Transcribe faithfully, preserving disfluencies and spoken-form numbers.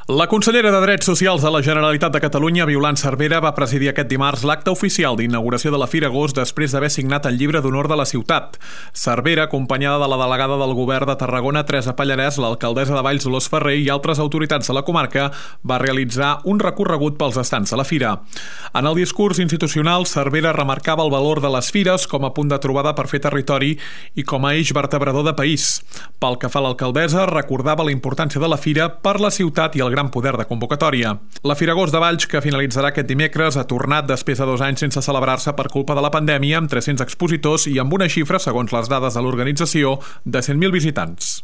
La consellera de Drets Socials de la Generalitat de Catalunya, Violant Cervera, va presidir aquest dimarts l'acte oficial d'inauguració de la Fira Agost després d'haver signat el llibre d'honor de la ciutat. Cervera, acompanyada de la delegada del govern de Tarragona, Teresa Pallarès, l'alcaldessa de Valls, Dolors Ferrer i altres autoritats de la comarca, va realitzar un recorregut pels estants de la Fira. En el discurs institucional, Cervera remarcava el valor de les fires com a punt de trobada per fer territori i com a eix vertebrador de país. Pel que fa a l'alcaldessa, recordava la importància de la Fira per la ciutat i el gran poder de convocatòria. La Fira Agost de Valls, que finalitzarà aquest dimecres, ha tornat després de dos anys sense celebrar-se per culpa de la pandèmia, amb tres-cents expositors i amb una xifra, segons les dades de l'organització, de cent mil visitants.